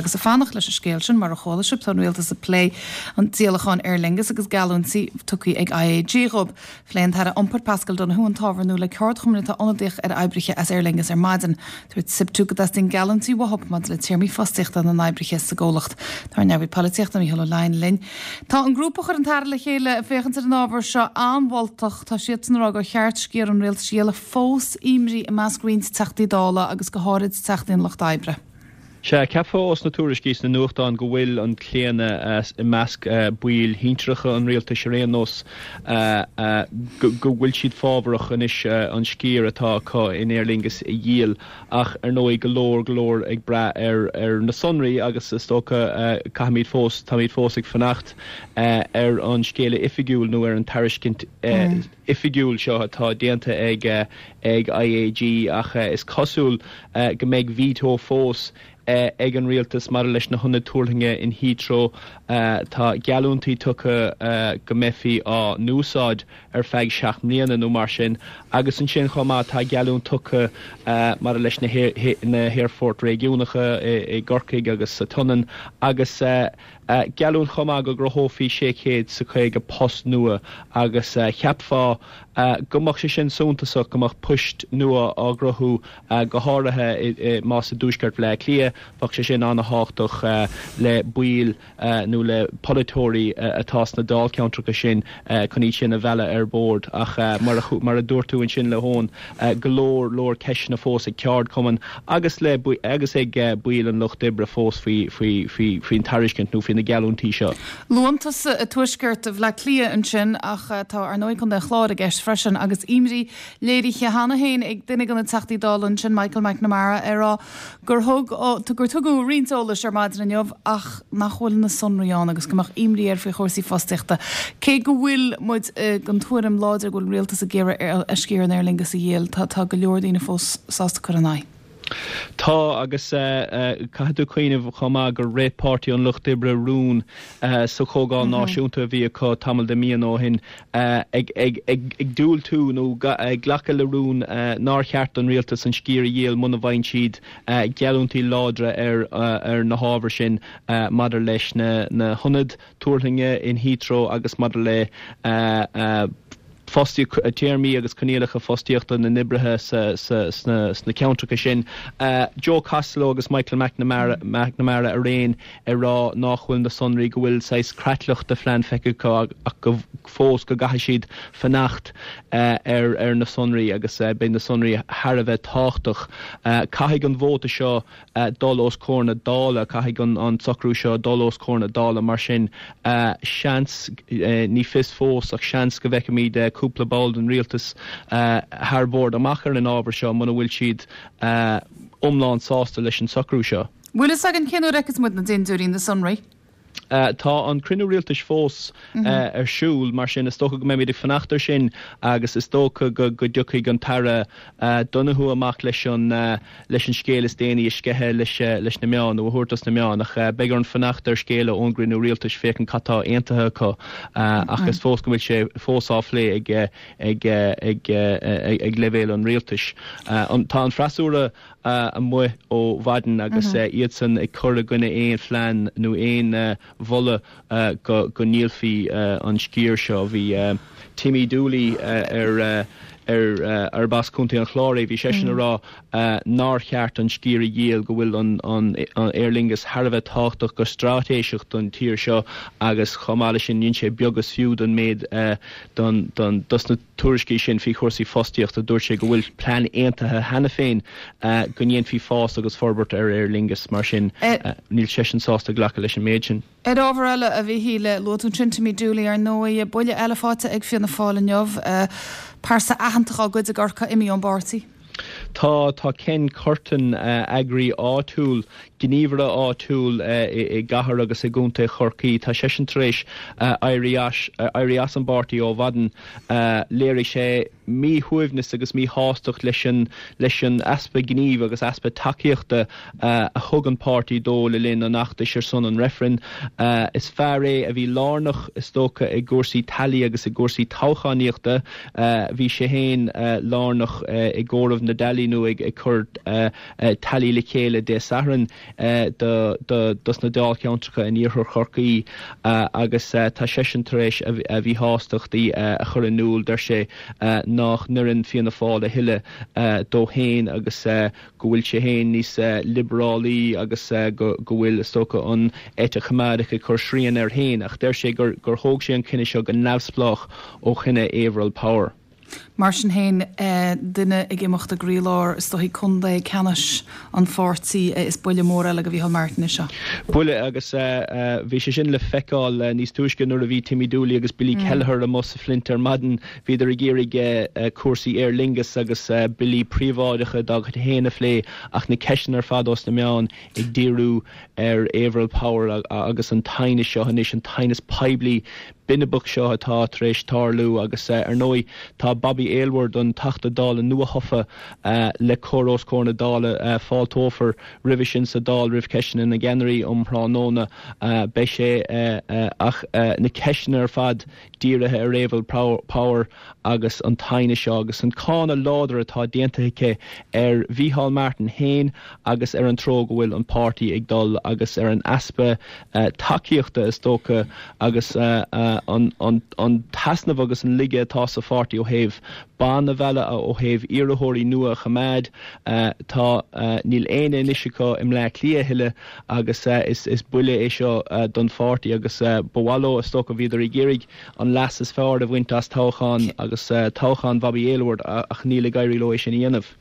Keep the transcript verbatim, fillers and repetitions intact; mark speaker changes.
Speaker 1: Agus ag fanacht leis an scéal sin mar a chuala sibh tá an rialtas ag plé an díolachán Aer Lingus agus geallúintí tugtha ag IAG dhóibh. Phléigh an tAire Iompair Paschal Donohoe an t-ábhar nua le ceardchumainn atá ionadaíoch ar oibrithe as Aer Lingus ar maidin. Dúirt SIPTU go dteastaíonn geallúintí uathu maidir le téarmaí fostaíochta na n-oibrithe sa gcomhlacht. Tá ár neamhaí polaitíochta Mícheál Ó Leidhin linn. Tá an grúpa a chuir an tAire le chéile féachaint ar an ábhar seo an-mholtach tá siad san rá gur cheart sciar an rialtais a dhíol fós imní i measc roinnt teachtaí dála agus go háirid teachtaí an lucht oibre.
Speaker 2: Sea cheapfá ós na tuairiscí sna nuachtáin go bhfuil an claonadh i measc baill shinsearacha an rialtais ar aon nós go bhfuil siad fábharach anois an sciar atá acu in Aer Lingus a dhíol ach ar ndóigh go leor go leor ag brath ar ar na sonraí agus is dócha caithfimid fós táimid fós ag fanacht ar an scéala oifigiúil nó ar an tairiscint oifigiúil seo atá déanta ag ag IAG ach is cosúil go mbeidh veto fós ag an rialtas mar leis na hionaid tuirlinge in Heathrow tá geallúintí tugtha go mbeifí á n-úsáid ar feadh seacht mbliana nó mar sin agus ansin chomh maith tá geallúint tugtha mar leis na na haerfoirt réigiúnacha i gCorcaigh agus sa tSionainn agus geallúint chomh maith go gcruthófaí sé chéad is caoga post nua agus cheapfá go mbeadh sé sin suntasach go mbeadh poist nua á gcruthú go háirithe más i dtuaisceart Bhaile Átha Cliath bheadh sé sin an-tábhachtach le baill nó le polaiteoirí atá sna dáilcheantracha sin chun iad sin a mhealladh ar bord ach mar mar a dúirt tú ansin le hón go leor leor ceisteanna fós ag ceardchumainn agus le agus ag baill an lucht oibre fós faoi faoi faoi faoin tairiscint nó faoi na geallúintí seo.
Speaker 1: Luann tusa tuaisceart Bhaile Átha Cliath ansin ach tá ar ndóigh Contae an Chláir i gceist freisin agus imní léirithe cheana féin ag duine de na Teachtaí Dála ansin Michael McNamara ar rá gur thug gur tugadh roinnt eolais ar maidin inniu ach nach bhfuil na sonraí ann agus go mbeadh imní air faoi chúrsaí fostaíochta. Cé go bhfuil muid den tuairim láidir go bhfuil rialtas ag iarraidh a sciar in Aer Lingus a dhíol tá tá go leor daoine fós sásta cur in aghaidh.
Speaker 2: Tá agus caithfidh tú cuimhneamh chomh maith gur rith Páirtí an Lucht Oibre rún sa Chomhdháil Náisiúnta a bhí acu tamall de mhíonna ó shin ag ag ag ag diúltú nó ag glacadh le rún nár cheart don rialtas an sciar a dhíol muna bhfaigheann siad geallúintí láidre ar ar na hábhair sin maidir leis na na hionaid tuirlinge in Heathrow agus maidir le fostaí téarmaí agus coinníollacha fostaíochta na n-oibrithe sna ceantracha sin. Joe Costello agus Michael McNamara McNamara araon ag rá nach bhfuil na sonraí go bhfuil saghas creatlach de phlean feicthe ach go fós go gcaithfidh siad fanacht ar ar na sonraí agus beidh na sonraí thar a bheith tábhachtach. Caithfidh an vóta seo dul os comhair na Dála caithfidh an an socrú seo dul os comhair na Dála mar sin seans ní fios fós ach seans go bhfeicfimid cúpla ball den rialtas thar bord amach ar an ábhar seo muna bhfuil siad iomlán sásta leis an socrú seo.
Speaker 1: Bhfuil a fhios againn cén uair a fheicfidh muid na dintiúirí na sonraí?
Speaker 2: Uh, tá an cruinniú rialtais fós mm -hmm. uh, ar siúl mar sin is dócha go mbeimid ag fanacht ar sin agus is dócha go go dtiocfaidh an tAire uh, Donohoe amach leis an uh, leis an scéal is déanaí a sceitheadh leis uh, leis na meáin nó a thabhairt dos na meáin ach uh, beidh orainn fanacht ar scéala ón gcruinniú rialtais féachaint cad atá aontaithe acu uh, ach is fós go bhfuil sé fós á phlé ag ag ag ag, ag leibhéal an rialtais. Uh, an, tá an freasúra uh, amuigh ó mhaidin agus mm -hmm. uh, iadsan ag cur i gcoinne aon phlean nó aon uh, mholadh uh, go, go ndíolfaí uh, an sciar seo bhí uh, Timmy Dooley uh, ar uh, ar uh, ar as Contae an Chláir bhí sé sin mm. ag rá uh, nár cheart an sciar a dhíol go bhfuil an, an, an Aer Lingus thar a bheith tábhachtach go straitéiseach don tír seo agus chomh maith sin níl sé beag is fiú don méid uh, don, don, dos na tuairiscí sin faoi chúrsaí fostaíochta dúirt sé go bhfuil plean aontaithe cheana féin uh, go ndéanfaí fás agus forbairt ar Aer Lingus mar sin uh, níl sé sin sásta glacadh leis an méid sin.
Speaker 1: Ar ábhar eile a bhí le luaigh tú sin Timmy Dooley ar ndóigh buille eile faighte ag Fianna Fáil inniu uh, pearsa aitheanta dá gcuid i gCorcaigh imithe ón bpáirtí.
Speaker 2: Tá tá Ken Curtin uh, eagraí áitiúil gníomhaire áitiúil uh, i, i gcathair agus i gContae Chorcaí Tá sé sin tar éis uh, éirí as an bpáirtí ó mhaidin uh, léirigh sé míshuaimhneas agus míshástacht leis an leis an easpa gnímh agus easpa tacaíochta uh, a thug an páirtí dó le linn an fheachtais ar son an reifrinn. Uh, is fear é a bhí lárnach is dócha i gcúrsaí tallaí agus i gcúrsaí toghchánaíochta uh, bhí sé féin uh, lárnach uh, i gcomhaireamh na dtallaí nó ag ag cur uh, uh, tallaí le chéile Dé Sathairn do dos na dáilcheantracha in iarthar Chorcaí agus tá seisean tar éis a mhíshástachtaí a chur in iúl deir sé nach n-oireann Fianna Fáil a thuilleadh dó féin agus go bhfuil sé féin níos liobrálaí agus go bhfuil is dócha an eite choimeádach ag cur srian air féin ach deir sé gur gur thóg sé an cinneadh seo go neamhspleách ó chinneadh Averil Power.
Speaker 1: Mar sin féin eh, duine ag imeacht i gcroílár is dóichí contae ceannais an pháirtí eh, is buille mór eile do Mhícheál Martin é seo.
Speaker 2: Buille agus bhí sé sin le feiceáil níos túisce nuair a bhí Timmy Dooley agus Billy mm. Kelleher amuigh sa Flint ar maidin bhíodar ag iarraidh cúrsaí Aer Lingus agus billí príobháideacha dá gcuid féin a phlé ach na ceisteanna ar fad ós na meáin ag díriú ar Averil Power agus an teannas seo anois an teannas poiblí binibeach seo atá tar éis tarlú agus ar ndóigh tá Bobby Aylward an Teachta Dála nuathofa uh, le cur os comhair na Dála uh, fáilteofar roimhe sin sa Dáil roimh ceisteanna na gceannairí um thráthnóna uh, beidh sé uh, uh, ach uh, na ceisteanna ar fad dírithe ar Averil Power agus an teannas seo agus an cáineadh láidir atá déanta aici ar Mhícheál Martin féin agus ar an treo go bhfuil an páirtí ag dul agus ar an easpa uh, tacaíochta is dócha agus uh, uh, an, an, an t-easnamh agus an laige atá sa pháirtí ó thaobh ban a mhealladh ó thaobh iarrthóirí nua a choimeád uh, tá uh, níl aon anois acu i mBleá Cliath a thuilleadh agus uh, is, is buille é seo uh, don pháirtí agus uh, bhalo is dócha bhíodar ag iarraidh an leas is fearr a bhaint as toghchán agus uh, toghchán Bobby Aylward ach níl ag éirí leo é sin a dhéanamh.